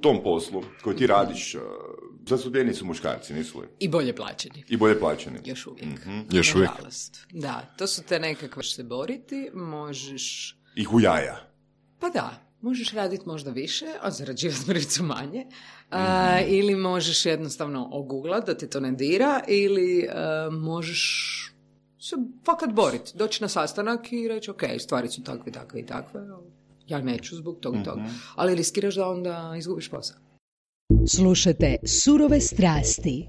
tom poslu koji ti radiš, zastupljeni su muškarci, nisu li? I bolje plaćeni. I bolje plaćeni. Još uvijek. Još uvijek. Nažalost. Da, to su te nekakve se boriti, možeš... Ih u jaja. Pa da, možeš raditi možda više, a zarađivati mrvicu manje. Ili možeš jednostavno oguglat da ti to ne dira, ili možeš se fakat boriti. Doći na sastanak i reći, ok, stvari su takve, takve i takve. Ja neću zbog toga i toga. Ali riskiraš da onda izgubiš posao. Slušajte Surove strasti.